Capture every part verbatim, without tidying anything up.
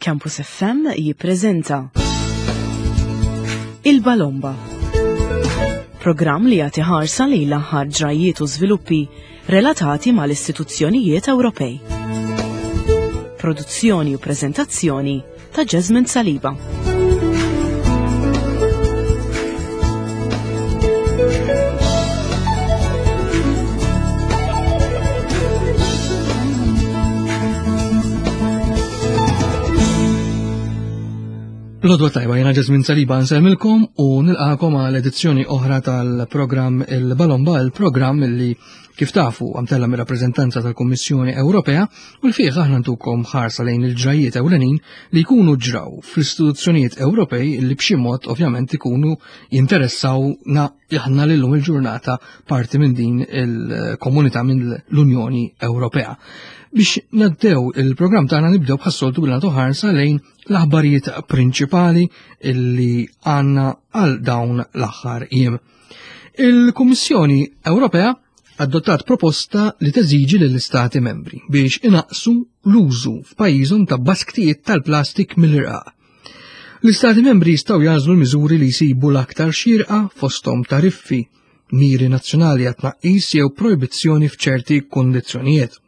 Campus F M jippreżenta Il-Balomba. Programm li jagħti ħarsa lejn l-aħħar ġrajiet u żviluppi relatati mal-istituzzjonijiet Ewropej. Produzzjoni u preżentazzjoni ta' Jasmine Saliba. L-għodwa t-tajba, jiena Jasmine Saliba nsellmilkom u nilqakom għal edizzjoni oħra tal-programm Il-Balomba, il-programm li kif tafu għamtella mir-rappreżentanza tal-Kummissjoni Ewropea u l fih aħna ntukom ħarsa lejn il-ġrajiet ewlenin li jkunu ġraw fl-istituzzjonijiet Ewropej li b'xi mod ovvjament ikunu jinteressawna aħna lillum il-ġurnata parti minn din il-komunità, minn l-Unjoni Ewropea. Biex nabdew il-programm tagħna, nibdew bħas-soltu billi nagħtu ħarsa lejn l-aħbarijiet prinċipali illi għandna għal dawn l-aħħar jiem. Il-Kummissjoni Ewropea adottat proposta li teżiġi lill-Istati membri biex inaqsu l-użu f'pajjiżhom ta' basktijiet tal-plastik mill-irqaq. L-Istati membri jistgħu jagħżlu l-miżuri li jsibu l-aktar xierqa, fosthom tariffi, miri nazzjonali għat-tnaqqis jew projbizzjoni f'ċerti kondizzjonijiet.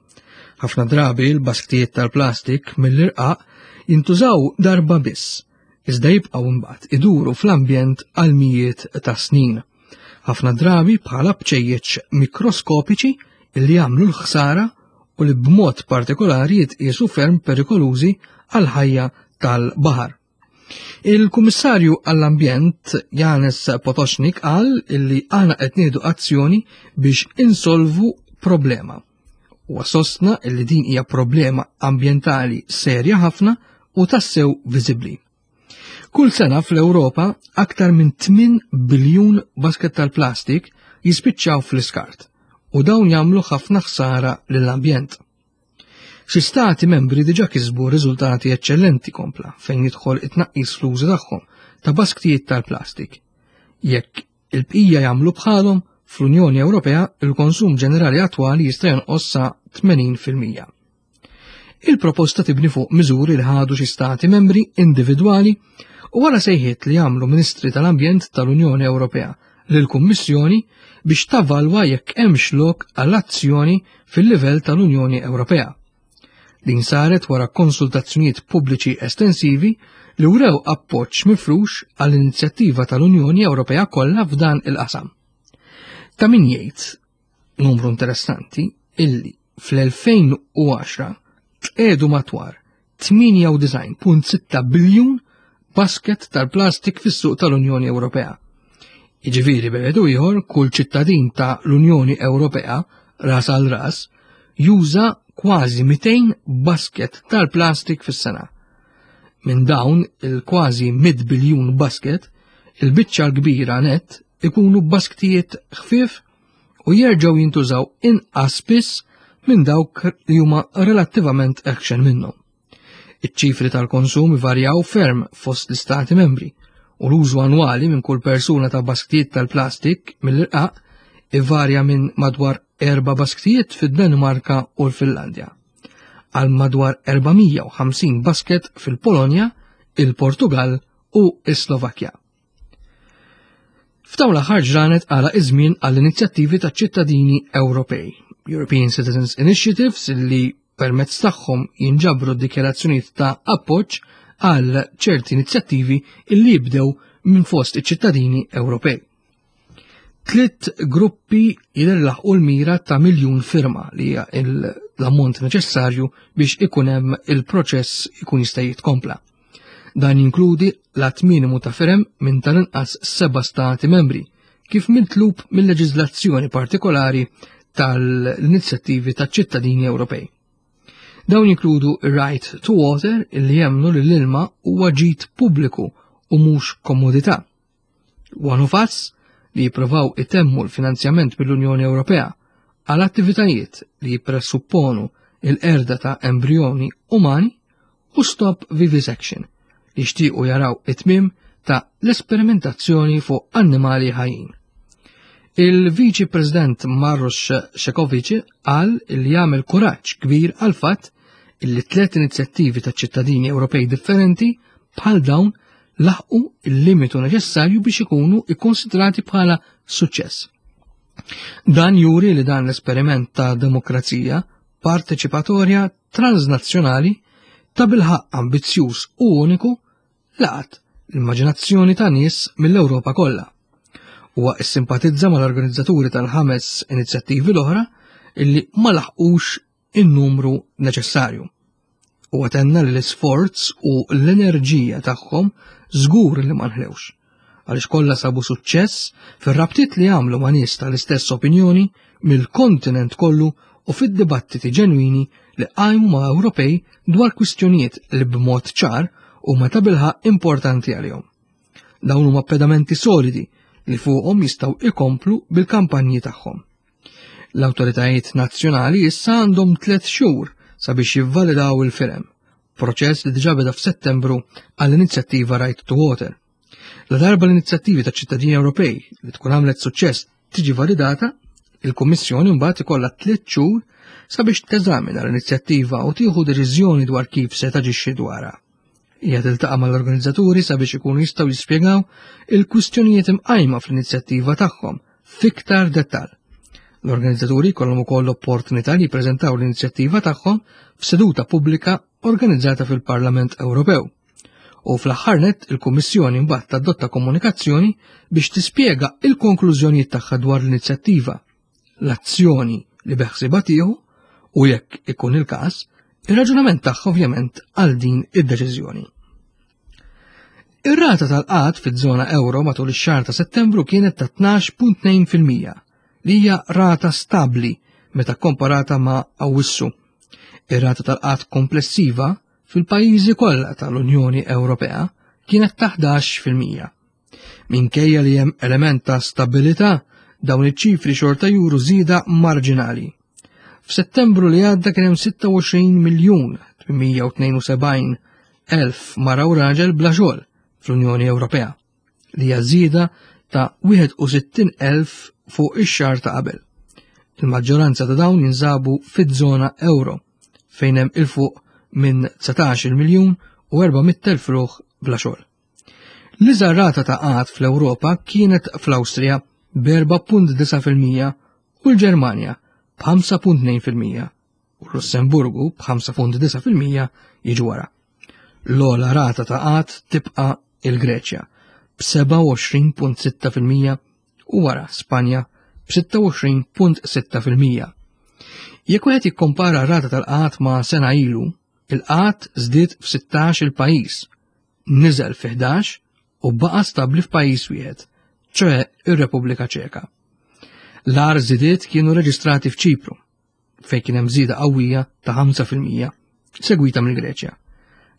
Ħafna drabi l-basktijiet tal-plastik mill-irqaq jintużaw darba biss, iżda jibqgħu imbagħad iduru fl-ambjent għal mijiet ta' snin. Ħafna drabi bħala bċejjeċ mikroskopiċi li jagħmlu l-ħsara u li b'mod partikolari jitqiesu ferm perikolużi għal ħajja tal-baħar. Il-Kummissarju għall-Ambjent Janez Potocznik qal illi aħna qed nieħdu azzjoni biex insolvu problema. U sostna illi din hija problema ambjentali serja ħafna u tassew viżibbli. Kull sena fl-Ewropa aktar minn tmien biljun basket tal-plastik jispiċċaw fl-iskart u dawn jagħmlu ħafna ħsara lill-ambjent. Xi stati membri diġà kisbu riżultati eċċellenti, kompla, fejn jidħol it-tnaqqis fl-użu tagħhom ta' basktijiet tal-plastik. Jekk il-bqija jagħmlu bħalhom, fl-Unjoni Ewropea il-konsum ġenerali attwali jista' jonqos sa tmenin fil-mija. Il-proposta tibni fuq miżuri li ħadu xi stati membri individwali u wara sejħiet li għamlu Ministri tal-Ambjent tal-Unjoni Ewropea lill-Kummissjoni biex tavalwa jekk hemmx lok għall-azzjoni fil-livell tal-Unjoni Ewropea. Din saret wara konsultazzjonijiet pubbliċi estensivi li wrew appoġġ mifrux għall-inizjattiva tal-Unjoni Ewropea kollha f'dan il-qasam. Ta' min jgħid, numru interessanti, illi fl-elfejn u għaxra tqedu madwar tmienja u disgħin punt sitta biljun basket tal-plastik fis-suq tal-Unjoni Ewropea. Jiġifieri, b'mod ieħor, kull ċittadin ta' l-Unjoni Ewropea ras għal ras juża kważi mitejn basket tal-plastik fis-sena. Minn dawn il-kważi mitt biljun basket, il-biċċa l-kbira net ikunu basktijiet ħfief u jerġgħu jintużaw inqas spiss minn dawk li huma relattivament eħxen minnhom. Iċ-ċifri tal-konsum varjaw ferm fost l-istati membri u l-użu annwali minn kull persuna ta' basktijiet tal-plastik mill-irqaq ivarja minn madwar erba' basktijiet fid-Danimarka u l-Finlandja għal madwar erba' mija u ħamsin basket fil-Polonja, il-Portugal u s-Slovakkja. F'dawn l-aħħar ġranet għala iż-żmien għall-inizjattivi ta' ċittadini Ewropej, European Citizens Initiatives, li permezz tagħhom jinġabru dikjarazzjonijiet ta' appoġġ għal ċerti inizjattivi illi jibdew minn fost iċ-ċittadini Ewropej. Tliet gruppi jidher laħqu l-mira ta' miljun firma, li hija l-ammont neċessarju biex ikun hemm il-proċess ikun jista' jitkompla. Dan jinkludi l-għadd minimu ta' firem minn tal-inqas seba' stati membri, kif mitlub mill-leġiżlazzjoni partikolari tal-inizjattivi ta' ċittadini Ewropej. Dawn jinkludu Right to Water, illi jemmnu li l-ilma huwa ġid pubbliku u mhux komodità. One of Us, li jipprovaw itemmu l-finanzjament mill-Unjoni Ewropea għal attivitajiet li jippresupponu il-qerda ta' embrjoni umani, u Stop Vivisection, li jixtiequ jaraw it-tmiem ta' l-esperimentazzjoni fuq annimali ħajjin. Il-Viċi President Maros Šefčovič qal li jagħmel kuraġġ kbir għal fatt illi tliet inizjattivi ta' ċittadini Ewropej differenti bħal dawn laħqu il-limitu neċessarju biex ikunu ikkonsidrati bħala suċċess. Dan juri li dan l-esperiment ta' demokrazija parteċipatorja transnazzjonali ta' bilħaq ambizzjuż u uniku laqat l-immaġinazzjoni ta' nies mill-Ewropa kollha. Huwa issimpatizza mal-organizzaturi tal-ħames inizjattivi l-oħra illi ma laħqux in-numru neċessarju. Huwa tenna li l-isforz u l-enerġija tagħhom żgur li ma nħlewx, għaliex kollha sabu suċċess fir-rabtiet li għamlu ma' nies tal-istess opinjoni mill-kontinent kollu u fid-dibattiti ġenwini li qajmu ma' Ewropej dwar kwistjonijiet li b'mod ċar huma ta' bilħaq importanti għalihom. Dawn huma pedamenti solidi li fuqhom jistgħu ikomplu bil-kampanji tagħhom. L-awtoritajiet nazzjonali issa għandhom tliet xhur sabiex jivvalidaw il-firem, proċess li diġà beda f'Settembru għall-inizjattiva Right to Water. La darba l-inizjattivi ta' ċittadini Ewropej li tkun għamlet suċċess tiġi validata, il-Kummissjoni mbagħad ikollha tliet xhur sabiex teżamina l-inizjattiva u tieħu deċiżjoni dwar kif se taġixxi dwarha. Hija tiltaqa' mal-organizzaturi sabiex ikunu jistgħu jispjegaw il-kwistjonijiet imqajma fl-inizjattiva tagħhom fiktar dettall. L-organizzaturi jkollhom ukoll l-opportunità li jippreżentaw l-inizjattiva tagħhom f'seduta pubblika organizzata fil-Parlament Ewropew. U fl-aħħar nett il-Kummissjoni mbagħad tadotta komunikazzjoni biex tispjega il-konklużjonijiet tagħha dwar l-inizjattiva, l-azzjoni li beħsiebha tieħu u jekk ikun il-każ, ir-raġunament tagħha ovvjament għal din id-deċiżjoni. Ir-rata tal-qgħad fiż-żona euro matul ix-xahar ta' Settembru kienet ta' tnax punt tnejn fil-mija, li hija rata stabbli meta komparata ma' Awwissu. Ir-rata tal-qgħad komplessiva fil-pajjiżi kollha tal-Unjoni Ewropea kienet ta' ħdax fil-mija. Minkejja li hemm element ta' stabilità, dawn iċ-ċifri xorta juru żieda marġinali. F'Settembru li għadda kien hemm sitta u għoxrin miljun tmien u tnejn u sebgħin elf mara u raġel bla xogħol fl-Unjoni Ewropea, li hija żieda ta' wieħed u sittin elf fuq ix-xahar ta' qabel. Il-maġġoranza ta' dawn jinsabu fiż-żona euro, fejn hemm il fuq minn dsatax-il miljun u erba' mitt elf ruħ bla xogħol. L-iżgħar rata ta' qgħad fl-Ewropa kienet fl-Awstrija b'erba' punt disa' fil-mija u l-Ġermanja b'ħamsa punt tnejn fil-mija u l-Lussemburgu b'ħamsa punt disa' fil-mija jiġu wara. L-ogħla rata ta' qgħad tibqa' il-Greċja b'seba' u għoxrin punt sitta fil-mija u wara Spanja b'sitta u għoxrin punt sitta fil-mija. Jekk wieħed jikkompara r-rata tal-qgħad ma' sena ilu, il-qgħad żdied f'sittax il pajjiż, niżel fi ħdax u baqa' stabbli f'pajjiż wieħed, ċoħe ir-Repubblika Ċeka. L-agħar żidiet kienu reġistrati f'Ċipru, fejn kien hemm żieda qawwija ta' ħamsa fil-mija, segwita mill-Greċja.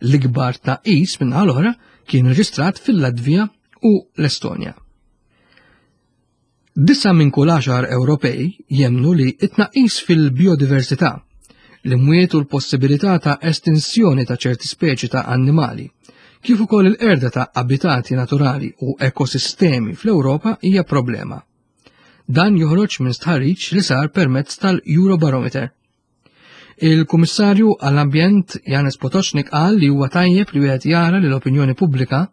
L-ikbar tnaqqis min-naħa l-oħra kien reġistrat fil-Latvija u l-Estonja. Disa minn kull għaxar Ewropej jemmnu li t-tnaqqis fil-biodiversità, l-imwiet u l-possibilità ta' estinsjoni ta' ċerti speċi ta' annimali, kif ukoll il-qerda ta' abitati naturali u ekosistemi fl-Ewropa hija problema. Dan joħroġ minn stħarriġ li sar permezz tal-Eurobarometer. Il-Kummissarju għall-Ambjent Janez Potocznik qal li huwa tajjeb li wieħed jara li l-opinjoni pubblika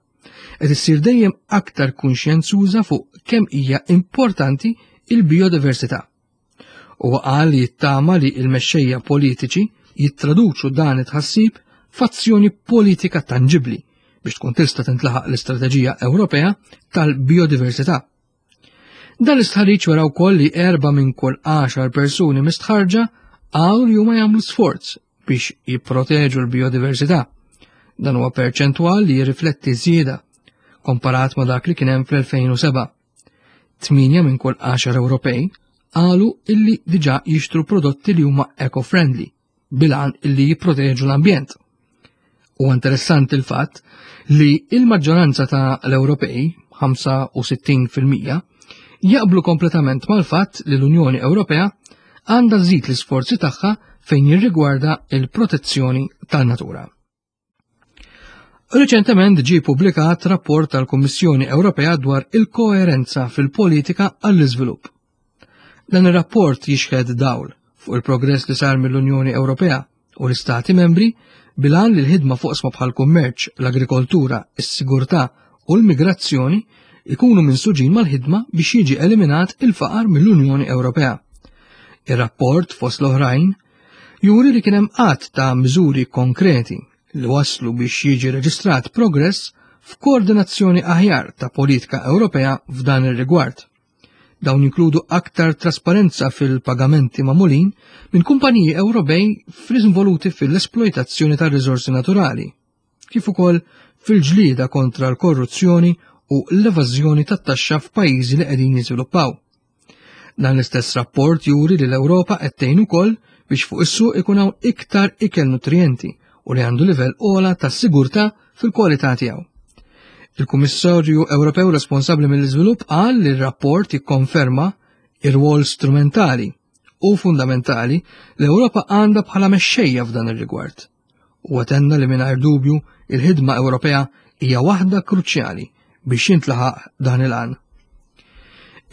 qed issir dejjem aktar kunxjenzuża fuq kemm hija importanti il-biodiversità. Huwa qal li jittama li l-mexxejja politiċi jittraduċu dan it-tħassib f'azzjoni politika tanġibbli biex tkun tista' tintlaħaq l-Istrateġija Ewropea tal-Biodiversità. Dan l-istħarriġ wera wkoll li erba' minn kull għaxar persuni mistħarġa qalu li huma jagħmlu sforz biex jipproteġu l-biodiversità. Dan huwa perċentwal li jirrifletti żieda komparat ma' dak li kien hemm fl-elfejn u seba'. Tmienja minn kull għaxar Ewropej qalu illi diġà jixtru prodotti li huma eco-friendly bil-għan illi jipproteġu l-ambjent. Huwa interessanti l-fatt li il-maġġoranza ta' l-Ewropej, ħamsa u sittin fil-mija, jaqblu kompletament mal-fatt li l-Unjoni Ewropea għandha żżid l-isforzi tagħha fejn jirrigwarda il-protezzjoni tan-natura. Riċentement ġie ppubblikat rapport tal-Kummissjoni Ewropea dwar il-koerenza fil-politika għall-iżvilupp. Dan ir-rapport jixħed dawl fuq il-progress li sar mill-Unjoni Ewropea u l-Istati membri bil-għan li l-ħidma fuq oqsma bħal kummerċ, l-agrikoltura, is-sigurtà u l-migrazzjoni ikunu minsuġin mal-ħidma biex jiġi eliminat il-faqar mill-Unjoni Ewropea. Ir-rapport fost l-oħrajn juri li kien hemm għadd ta' miżuri konkreti li waslu biex jiġi reġistrat progress f'koordinazzjoni aħjar ta' politika Ewropea f'dan ir-rigward. Dawn jinkludu aktar trasparenza fil-pagamenti magħmulin minn kumpaniji Ewropej involuti fil-esploitazzjoni tar riżorsi naturali, kif ukoll fil-ġlieda kontra l-korruzzjoni u l-evażjoni tat-taxxa f'pajjiżi li qegħdin jiżviluppaw. Dan l-istess rapport juri li l-Ewropa qed tgħin ukoll biex fuq is-suq ikun hawn iktar ikel nutrijenti u li għandu livell ogħla ta' sigurtà fil-kwalità tiegħu. Il-Kummissarju Ewropew responsabbli mill-iżvilupp qal li r-rapport jikkonferma ir-rwol strumentali u fundamentali l-Ewropa għandha bħala mexxejja f'dan ir-rigward. U tenna li mingħajr dubju il-ħidma Ewropea hija waħda kruċjali biex jintlaħaq dan il-għan.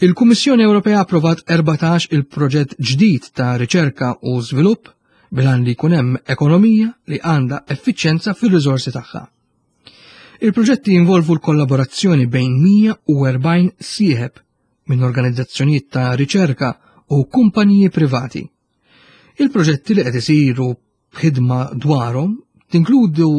Il-Kummissjoni Ewropea approvat erbatax il-proġett ġdid ta' riċerka u żvilupp bil-għan li jkun hemm ekonomija li għandha effiċjenza fir-riżorsi tagħha. Il-proġetti jinvolvu l-kollaborazzjoni bejn mija u erbgħin sieħeb minn organizzazzjonijiet ta' riċerka u kumpaniji privati. Il-proġetti li qed isiru b'ħidma dwarhom tinkludu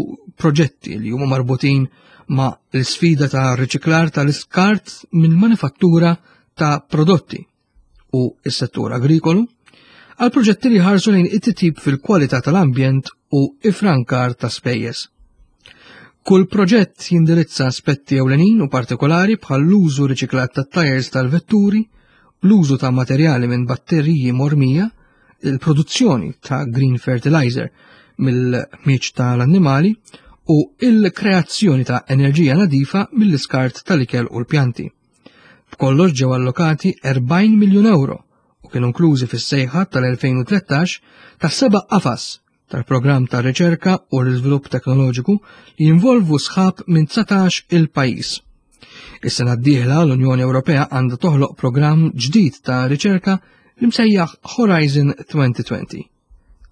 proġetti li huma marbutin ma' l-sfida ta' riċiklar tal-iskart minn manifattura ta' prodotti u s-settur agrikolu, għal proġetti li ħarsu lejn it-titjib fil-kwalità tal-ambjent u ifrankar ta' spejjeż. Kull proġett jindirizza aspetti ewlenin u partikolari bħal l-użu riċiklat tat-tajers tal-vetturi, l-użu ta' materjali minn batteriji mormija, il-produzzjoni ta' green fertilizer mill-ħmieġ tal-annimali u il-kreazzjoni ta' enerġija nadifa mill-iskart tal-ikel u l-pjanti. B'kollox ġew allokati erbgħin miljun euro u kienu inklużi fis-sejħa tal-elfejn u tlettax ta' seba' qafas tal-programm ta' riċerka u l-iżvilupp teknoloġiku li jinvolvu sħab minn dsatax il-pajjiż. Is-sena d-dieħla l-Unjoni Ewropea għandha toħloq programm ġdid ta' riċerka li msejjaħ Horizon twenty twenty.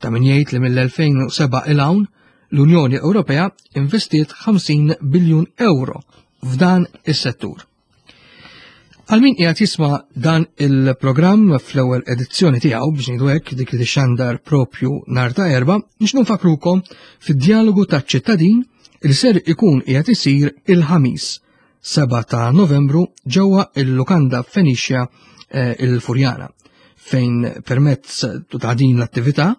Ta' min jgħid li mill-elfejn u seba' il hawn l-Unjoni Ewropea investiet ħamsin biljun euro f'dan is-settur. Għal min qiegħed jisma' dan il-programm fl-ewwel edizzjoni tiegħu biex ngħidu hekk dik li tixxandar propju nhar ta' Erbgħa, nixtieq nfakrukom fid-dialogu taċ-ċittadin li ser ikun qiegħed isir il-Ħamis seba' ta' Novembru ġewwa il-Lukanda Fenicia, eh, il-Furjana, fejn permezz ta' din l-attività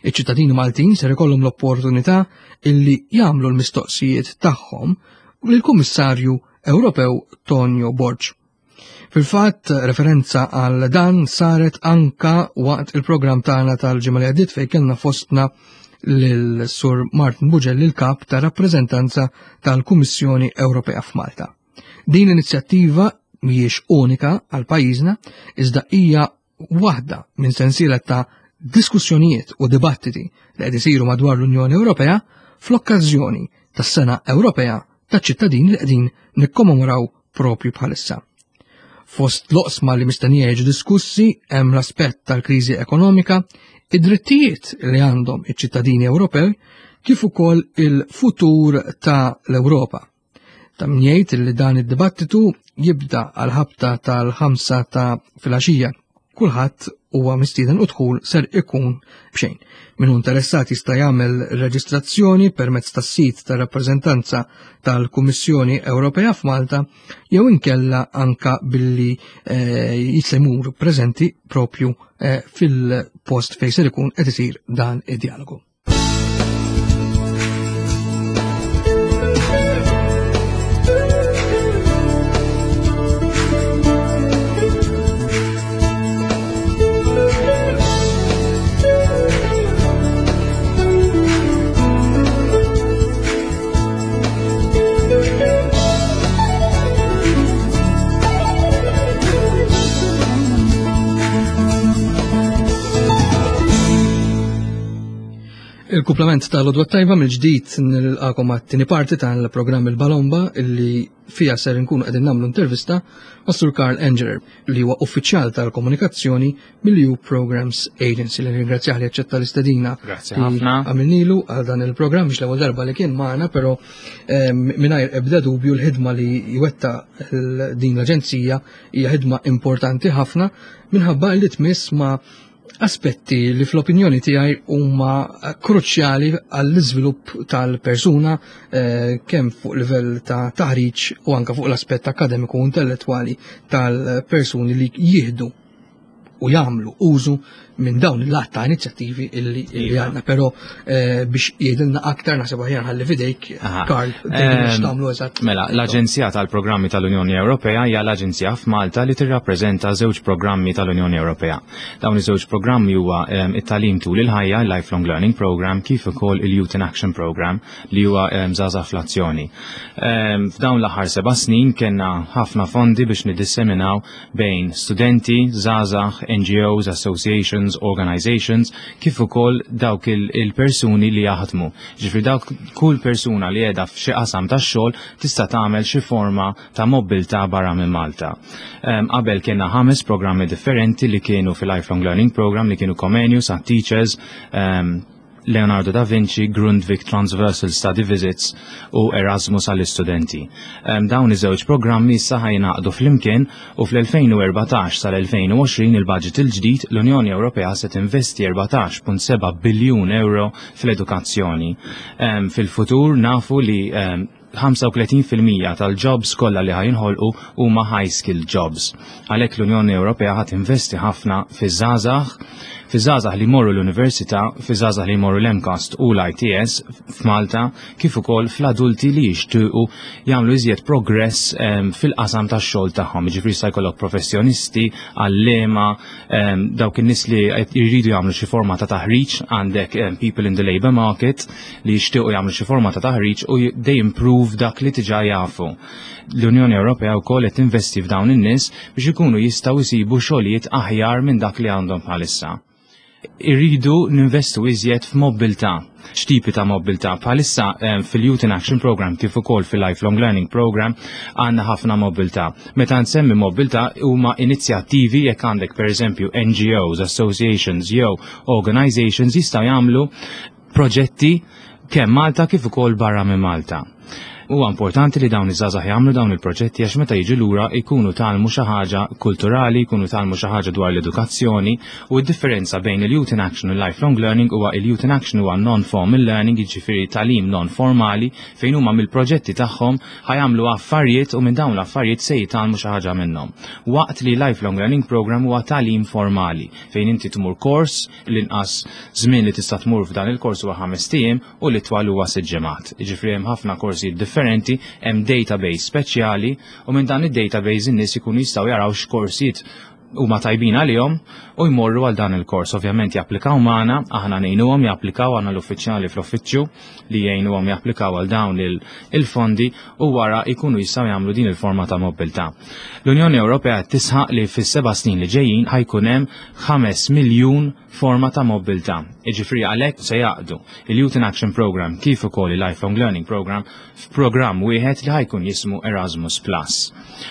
iċ-ċittadini Maltin ser ikollhom l-opportunità illi jagħmlu l-mistoqsijiet tagħhom lill-Kummissarju Ewropew Tonio Borg. Fil-fatt, referenza għal dan saret anka waqt il-programm tagħna tal-ġimgħa li għaddiet fejn kellna fostna lil Sur Martin Bugelli, il-kap ta' rappreżentanza tal-Kummissjoni Ewropea f'Malta. Din l-inizjattiva mhijiex unika għal pajjiżna, iżda hija waħda minn sensiela ta' diskussjonijiet u dibattiti li qed isiru madwar l-Unjoni Ewropea fl-okkażjoni tas-Sena Ewropea taċ-ċittadini li qegħdin nikkommemoraw propju bħalissa. Fost l-oqsma li mistennija jiġu diskussi hemm l-aspett tal-kriżi ekonomika, id-drittijiet li għandhom iċ-ċittadini Ewropej, kif ukoll il-futur ta' l-Ewropa. Ta' min jgħid li dan id-dibattitu jibda għal ħabta tal-ħamsa ta' filgħaxija. Kulħadd huwa mistieden u dħul ser ikun b'xejn. Min hu interessat jista' jagħmel reġistrazzjoni permezz tas-sit tar-rappreżentanza tal-Kummissjoni Ewropea f'Malta jew inkella anka billi, eh, jista' jmur preżenti propju, eh, fil-post fejn ser ikun qed isir dan id-dialogu. Fil-komplement tal-Għodwa t-Tajba, mill-ġdid nilqagħkom għat-tieni parti tal-programm Il-Balomba, illi fija ser nkunu qegħdin nagħmlu intervista ma' Sur Karl Engerer, li huwa uffiċjal tal-komunikazzjoni mill-E U Programs Agency, li ringrazzjah li aċċetta l-istedina Grazzi li ħafna. għamilnilu għal dan il-programm. Biex l-ewwel darba li kien magħna, però eh, mingħajr ebda dubju l-ħidma li jwettaq din l-aġenzija hija ħidma importanti ħafna, minħabba li tmiss ma' aspetti li fl-opinjoni tiegħi huma kruċjali għall-iżvilupp tal-persuna, eh, kemm fuq livell ta' taħriġ u anka fuq l-aspett akademiku u intellettwali tal-persuni li jieħdu u jagħmlu użu minn dawn il-għadd ta' inizjattivi illi illi Iva. għandna. Però eh, biex jgħidilna aktar, naħseb aħjar ħalli f'idejk, Aha. Karl, tgħidilna Ehm, x'tagħmlu eżatt. Mela, l-Aġenzija tal-Programmi tal-Unjoni Ewropea hija l-aġenzija f'Malta li tirrappreżenta żewġ programmi tal-Unjoni Ewropea. Dawn iż-żewġ programmi huwa ehm, it-tagħlim tul il-ħajja, il-Lifelong Learning Program, kif ukoll il-Youth in Action Program, li huwa ehm, Żgħażagħ fl-Azzjoni. Ehm, F'dawn l-aħħar seba' snin kellna ħafna fondi biex nidisseminaw bejn studenti, żgħażagħ, N G Os, associations, organizations, kif ukoll dawk il- il-persuni li jaħdmu. Ġifieri dawk kull persuna li qiegħda f'xi qasam tax-xogħol tista' tagħmel xi forma ta' mobilità barra minn Malta. Em, Qabel kellna ħames programmi differenti li kienu fil-Lifelong Learning Program, li kienu Comenius, għat Teachers, em, Leonardo da Vinci, Grundtvig Transversal Study Visits u Erasmus għall-istudenti. Um, dawn iż-żewġ programmi issa ħa jingħaqdu flimkien u fl-elfejn u erbatax sal-elfejn u għoxrin, il-budget il-ġdid, l-Unjoni Ewropea se tinvesti erbatax punt seba' biljun euro fl-edukazzjoni. Um, Fil-futur nafu li um, ħamsa u tletin fil-mija tal-jobs kollha li ħa jinħolqu huma high skill jobs. Għalhekk l-Unjoni Ewropea ħa tinvesti ħafna fiż-żgħażagħ, fiż-żgħażagħ li jmorru l-università, fiż-żgħażagħ li jmorru l-MCAST u l-I T S f'Malta, kif ukoll fl-adulti li jixtiequ jagħmlu iżjed progress em, fil-qasam tax-xogħol tagħhom. Jiġifieri sta jkollok professjonisti, għalliema, em, dawk in-nies li qed jridu jagħmlu xi forma ta' taħriġ, għandek em, people in the labor market li jixtiequ jagħmlu xi forma ta' taħriġ u they improve dak li diġà jafu. L-Unjoni Ewropea wkoll qed tinvesti f'dawn in-nies biex ikunu jistgħu jsibu xogħlijiet aħjar minn dak li għandhom bħalissa. Irridu ninvestu iżjed f'mobilità. X'tipi ta' mobilità? Bħalissa eh, fil-Youth in Action Program kif ukoll fil-Lifelong Learning Program għandna ħafna mobilità. Meta nsemmi mobilità, huma inizjattivi jekk għandek, pereżempju, N G Os, associations jew organizations jistgħu jagħmlu proġetti kemm Malta kif ukoll barra minn Malta. Huwa importanti li dawn iż-żgħażagħ jagħmlu dawn il-proġetti, għax meta jiġu lura jkunu tgħallmu xi ħaġa kulturali, jkunu tgħallmu xi ħaġa dwar l-edukazzjoni. U d-differenza bejn il-Youth in Action u l-Lifelong Learning huwa il-Youth in Action huwa non-formal learning, jiġifieri tagħlim non-formali fejn huma mill-proġetti tagħhom ħa jagħmlu affarijiet u minn dawn l-affarijiet se jitgħallmu xi ħaġa minnhom. Waqt li Lifelong Learning Program huwa tagħlim formali fejn inti tmur kors, l-inqas żmien li tista' tmur f'dan il-kors huwa ħames ijiem u l-itwal huwa sitt ġimgħat. Jiġifieri hemm ħafna korsijiet differenti, hemm database speċjali u minn dan id-database in-nies ikunu jistgħu jaraw x'korsijiet huma tajbin għalihom u jmorru għal dan il-kors. Ovvjament japplikaw magħna, aħna ngħinuhom japplikaw, għandna l-uffiċjali fl-uffiċċju li jgħinuhom japplikaw għal dawn il- il-fondi u wara jkunu jistgħu jagħmlu din il-forma ta' mobilità. L-Unjoni Ewropea tisħaq li fis-seba' snin li ġejjin ħa jkun hemm ħames miljun forma ta' mobilità. Jiġifieri għalhekk se jgħaqqdu il-Youth in Action Program kif ukoll il-Lifelong Learning Program f'programm wieħed li ħa jkun jismu Erasmus Plus.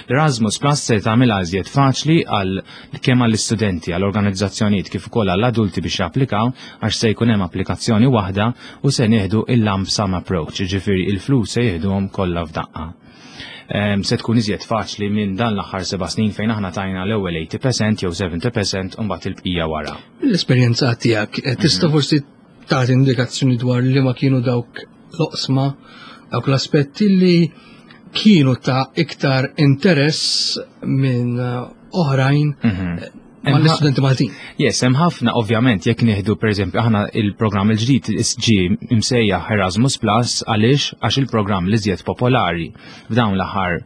L-Erasmus Plus se tagħmilha iżjed faċli għal kemm għall-istudenti, għall-organizzazzjonijiet kif ukoll għall-adulti biex japplikaw, għax se jkun hemm applikazzjoni waħda u se nieħdu il-lump sum approach, jiġifieri il-flus se jieħduhom kollha f'daqqa. Em, se tkun iżjed faċli minn dan l-aħħar seba' snin fejn aħna tajna l-ewwel tmenin fil-mija jew sebgħin fil-mija u mbagħad il-bqija wara. L-esperjenza tiegħek, eh, tista' forsi tagħti indikazzjoni dwar li ma kienu dawk l-oqsma, dawk l-aspetti li kienu ta' iktar interess minn eh, oħrajn Mhm. mal-istudenti Maltin? Yes, hemm ħafna ovvjament. Jekk nieħdu, pereżempju, aħna il-programm il-ġdid ġie imsejjaħ Erasmus Plus. Għaliex? Għax il-programm li iżjed popolari f'dawn l-aħħar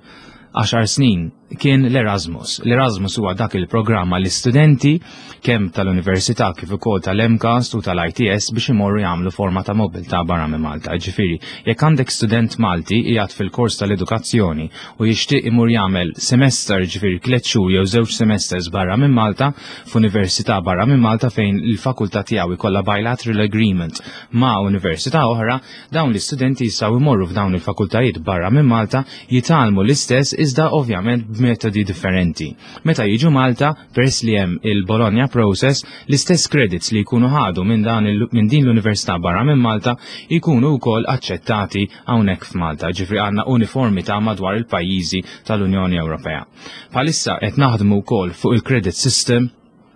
għaxar snin kien l-Erasmus. L-Erasmus huwa dak il-programma l-istudenti kemm tal-Università kif ukoll tal-M CAST u tal-I T S biex imorru jagħmlu forma ta' mobilità barra minn Malta. Ġifieri, jekk għandek student Malti qiegħed fil-kors tal-edukazzjoni u jixtieq imur jagħmel semester, ġifieri tliet xhur jew żewġ semesters barra minn Malta, f'università barra minn Malta fejn il-fakultà tiegħu jkollha bilateral agreement ma' università oħra, dawn l-istudenti jistgħu jmorru f'dawn il-fakultajiet barra minn Malta, jitgħallmu l-istess iżda ovvjament b'metodi differenti. Meta jiġu Malta, peress li hemm il-Bologna Process, l-istess credits li jkunu ħadu minn dan il- minn din l-università barra minn Malta jkunu wkoll aċċettati hawnhekk f'Malta. Ġifieri għandna uniformità madwar il-pajjiżi tal-Unjoni Ewropea. Bħalissa qed naħdmu wkoll fuq il-credit system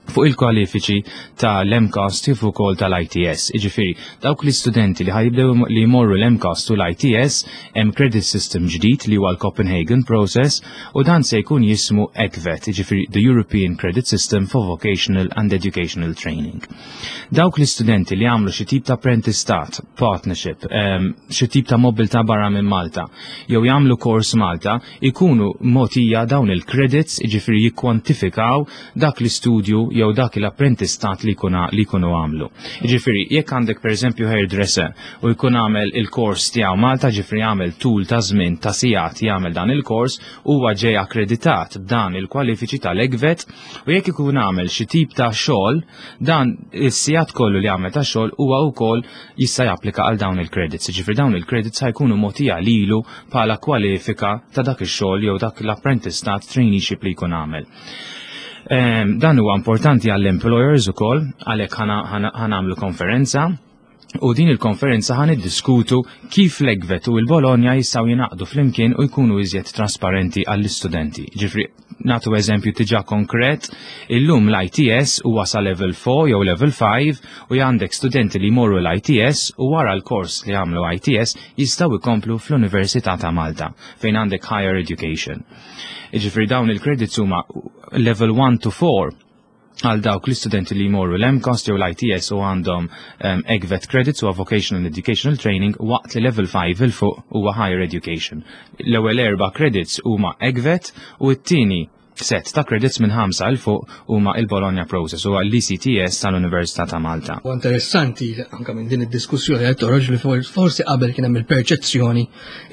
fuq il-kwalifiċi tal-M CAST kif ukoll tal-I T S. Iġifieri, dawk l-istudenti li ħa jibdew li jmorru l-M CAST u l-I T S, hemm credit system ġdid li huwa l-Copenhagen Process u dan se jkun jismu ECVET, iġifieri the European Credit System for Vocational and Educational Training. Dawk l-istudenti li għamlu xi tip ta' apprentistat, partnership, um, xi tip ta' mobilità barra minn Malta, jew jagħmlu kors Malta, ikunu mogħtija dawn il-credits, iġifieri jikkwantifikaw dak l-istudju jew dak l-apprentistat li jkunu li jkunu għamlu. Ġifieri, jekk għandek pereżempju hairdresser u jkun għamel il-kors tiegħu Malta, ġifieri għamel tul ta' żmien ta' sigħat jagħmel dan il-kors, huwa ġej akkreditat b'dan il-kwalifiċi tal-ECVET u jekk ikun għamel xi tip ta' xogħol, dan is-sigħat kollu li għamel ta' xogħol huwa wkoll jista' japplika għal dawn il-credits. Ġifieri dawn il-credits ħa jkunu mogħtija lilu bħala kwalifika ta' dak ix-xogħol jew dak l-apprentistat, traineeship li jkun għamel. Em, Dan huwa importanti għall-employers ukoll, għalhekk ħa nagħmlu konferenza u din il-konferenza ħa niddiskutu kif l-ECVET u il-Bologna jistgħu jingħaqdu flimkien u jkunu iżjed trasparenti għall-istudenti. Ġifieri, nagħtu eżempju diġà konkret, illum l-I T S huwa sa level four jew level five u għandek studenti li jmorru l-I T S u wara l-kors li għamlu I T S jistgħu jkomplu fl-Università ta' Malta fejn għandek higher education. Ġifieri dawn il-credits huma level one to four għal dawk l-istudenti li jmorru l-M CAST jew l-I T S u għandhom um, ECVET credits u Vocational Educational Training, waqt li level five 'il fuq huwa higher education. L-ewwel erba' credits huma ECVET u t-tieni set ta' credits minn ħamsa 'il fuq huma il-Bologna Process u l-E C T S tal-Università ta' Malta. U interessanti anka minn din id-diskussjoni qed toħroġ li forsi qabel kien hemm il-perċezzjoni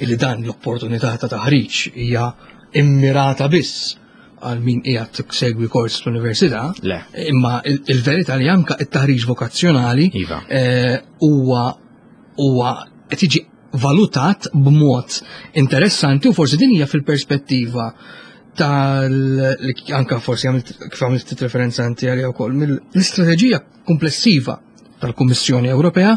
li dan l-opportunità ta' taħriġ hija immirata biss għal min qiegħed segwi kors fl-università. Le. Imma il-verità li anka it-taħriġ vokazzjonali Iva. eh, huwa huwa qed jiġi valutat b'mod interessanti u forsi din hija fil-perspettiva tal li anka forsi għamilt kif għamilt referenza inti għalija wkoll mill-istrateġija komplessiva tal-Kummissjoni Ewropea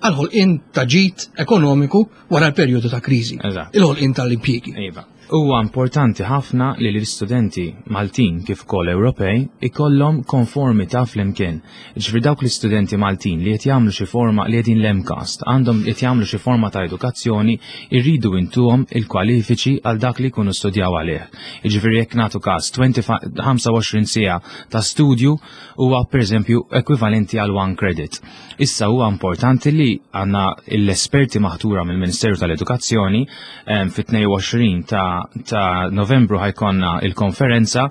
għal-ħolqien ta' ġid ekonomiku wara l-perjodu ta' kriżi. Eżatt. Il-ħolqien tal-impjiegi. Iva. Huwa importanti ħafna li l-istudenti Maltin kif ukoll Ewropej ikollhom konformità flimkien. Ġifieri dawk l-istudenti Maltin li qed jagħmlu xi forma li qegħdin l-M CAST għandhom qed jagħmlu xi forma ta' edukazzjoni, irridu intuhom il-kwalifiċi għal dak li jkunu studjaw għalih. Jiġifieri jekk nagħtu każ ħamsa u għoxrin siegħa ta' studju huwa pereżempju ekwivalenti għal one credit. Issa huwa importanti li għandna l-esperti maħtura mill-Ministeru tal-Edukazzjoni em, fit-tnejn u għoxrin ta' ta' Novembru ħa jkollna il-konferenza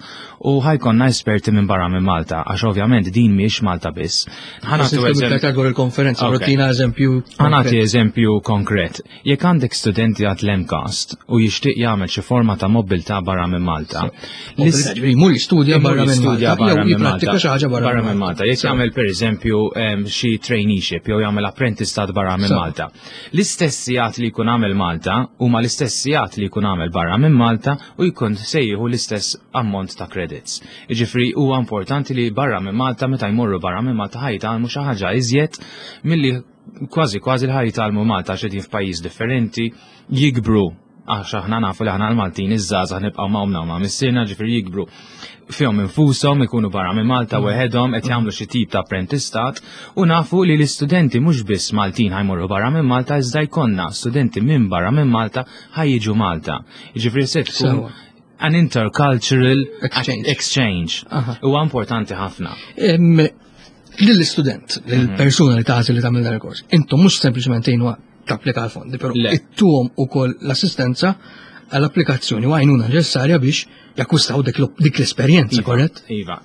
u ħa jkollna esperti minn barra minn Malta, għax ovvjament din mhijiex Malta biss. Ħa nagħtu eżempju- dwar il-konferenza, Ok. agħtina eżempju. Ħa nagħti eżempju konkret. Jekk għandek studenti għad l-M CAST u jixtieq jagħmel xi forma ta' mobilità barra minn Malta, Mobilità, ġifieri jmur jistudja barra minn jistudja Malta, barra jew minn jipprattika Malta. xi ħaġa barra minn Malta. Jekk jagħmel pereżempju em, xi traineeship jew jagħmel apprentistat barra minn So. Malta. L-istess sigħat li jkun għamel Malta huma l-istess sigħat li jkun għamel barra minn Malta u jkun se jieħu l-istess ammont ta' credits. Jiġifieri huwa importanti li barra minn Malta, meta jmorru barra minn Malta, ħa jitgħallmu xi ħaġa iżjed milli kważi kważi li ħa jitgħallmu Malta, għax qegħdin f'pajjiż differenti, jikbru, għax aħna nafu li aħna l-Maltin iż-żgħażagħ nibqgħu ma' omna u ma' missierna, ġifieri jikbru fihom infushom, ikunu barra minn Malta weħedhom qed jagħmlu xi tip ta' apprentistat u nafu li l-istudenti mhux biss Maltin ħa jmorru barra minn Malta iżda jkollna studenti minn barra minn Malta ħa jiġu Malta. Jiġifieri se tkun Sewa. an intercultural Exchange. exchange. Aha. Huwa importanti ħafna. Em, Lill-istudent, lill-persuna li tagħżel li tagħmel dan il-kors, intom mhux sempliċement tgħinuha tapplika għal-fondi, però Le. ittuhom ukoll l-assistenza għall-applikazzjoni u għajnuna neċessarja biex jakkwistaw dik l-esperjenza, Iva, korrett? Iva,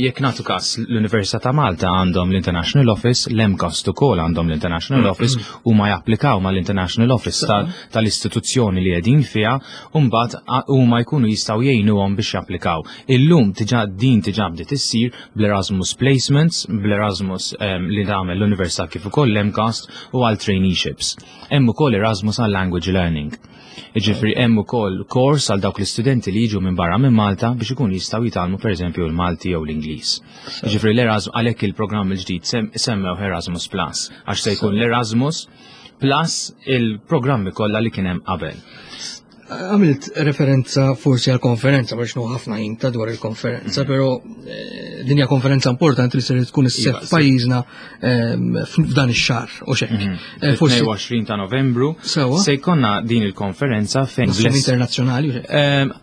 jekk nagħtu każ l-Università ta' Malta għandhom l-International Office, l-MCAST ukoll għandhom l-International Office u ma japplikaw mal-International Office tal-istituzzjoni li qegħdin fiha u mbagħad huma jkunu jistgħu jgħinuhom biex japplikaw. Illum diġà din diġà bdiet issir bl-Erasmus Placements, bl-Erasmus li tagħmel l-Università kif ukoll l-MCAST u għal traineeships. Hemm ukoll Erasmus għal language learning. Jiġifieri hemm ukoll kors għal dawk l-istudenti li jiġu minn barra minn Malta biex ikun jistgħu jitgħallmu pereżempju l-Malti jew l-Ingliż. Jiġifieri l-Erasmus għalhekk il-programm il-ġdid semmew Erasmus Plus għax se jkun l-Erasmus Plus il-programmi kollha li kien hemm qabel. Għamilt referenza forsi għal konferenza, biex ħafna ħin ta' dwar il-konferenza, mm. pero eh, din hija konferenza importanti li ser tkun isseħħ f'pajjiżna ehm, f'dan ix-xahar u xek. Mhm. Eh, forsi tnejn u għoxrin ta' Novembru se jkollna din il-konferenza fejn internazzjonali. Ehm,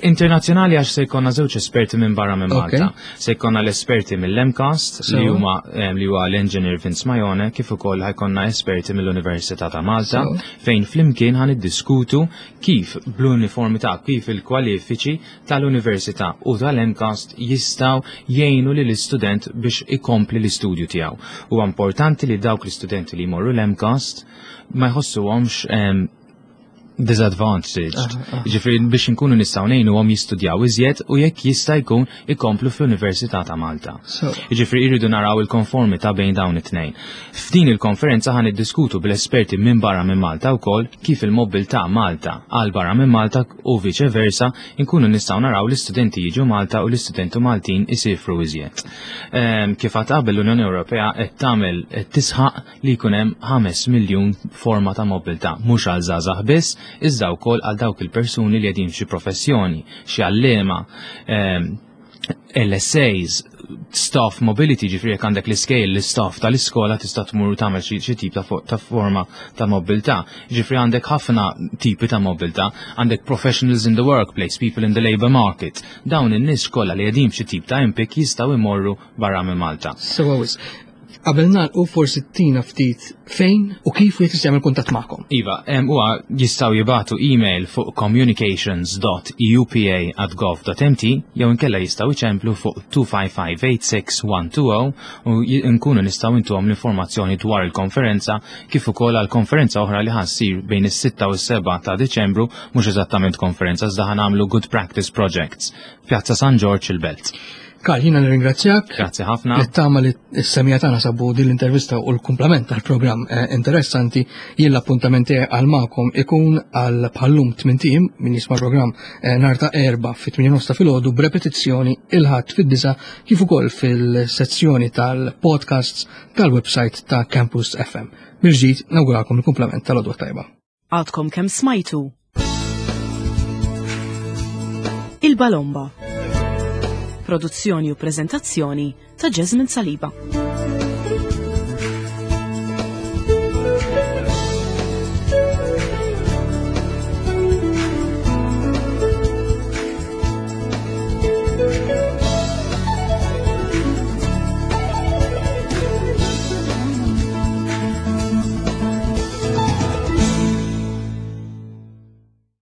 internazzjonali għax se jkollna żewġ esperti minn barra minn Malta. Se jkollna l-esperti mill-MCAST li huma li huwa l-Engineer Vince Majone kif ukoll ħa jkollna esperti mill-Università ta' Malta fejn flimkien ħa niddiskutu kif bl-uniformità kif il-kwalifiċi tal-Università u tal-MCAST jistgħu jgħinu lil istudent biex ikompli l-istudju tiegħu. Huwa importanti li dawk l-istudenti li jmorru l-MCAST ma jħossuhomx disadvantaged. Jiġifieri biex nkunu nistgħu ngħinuhom jistudjaw iżjed u jekk jista' jkun ikomplu fl-Università ta' Malta. Jiġifieri jridu naraw il-konformità bejn dawn it-tnejn. F'din il-konferenza ħa niddiskutu bil-esperti minn barra minn Malta wkoll kif il-mobilità Malta għal barra minn Malta u vice versa nkunu nistgħu naraw l-istudenti jiġu Malta u l-istudenti Maltin isifru iżjed. Ehm, kif għad qabel l-Unjoni Ewropea qed tagħmel qed tisħaq li jkun hemm ħames miljun forma ta' mobilità mhux għal żgħażagħ biss, iżda wkoll għal dawk il-persuni li qegħdin f'xi professjoni, xi għalliema, ehm, L S As, staff mobility, ġifieri jekk għandek l-iskejjel, l-staff tal-iskola tista' tmur tagħmel xi tip ta' forma ta' mobilità. Ġifieri għandek ħafna tipi ta' mobilità, għandek professionals in the workplace, people in the labor market. Dawn in-nies kollha li qegħdin f'xi tip ta' impjieg jistgħu jmorru barra minn Malta. Sewa wisq. Qabel nagħlqu forsi tina ftit fejn u kif wieħed jista' jagħmel kuntatt magħkom. Iva, huwa jistgħu jibagħtu email fuq communications dot E U P A at gov dot M T jew inkella jistgħu jċemplu fuq two five five eight six one two zero u nkunu nistgħu intuhom l-informazzjoni dwar il-konferenza kif ukoll għal konferenza oħra li ħa ssir bejn is-sitta u s-sebgħa ta' Diċembru, mhux eżattament konferenza iżda ħa nagħmlu good practice projects Pjazza San Ġorġ il-Belt. Karl, jiena nirringrazzjak. Grazzi ħafna. Nittama li s-semmiegħa tagħna sabu din l-intervista u l-kumplament tal-programm eh, interessanti. Jien l-appuntament għal magħkom ikun għal bħal-lum tmint ijiem min jisma' programm eh, nhar ta' Erbgħa fit-tmienja ta' filgħodu b'repetizzjoni il-Ħadd fid-disgħa kif ukoll fil-sezzjoni tal-podcasts tal-website ta' Campus F M. Mill-ġdid nawgurakom il-kumplament tal-għodwa tajba. Għadkom kemm smajtu Il-Balomba. Produzzjoni u prezentazzjoni ta' Jasmine Saliba.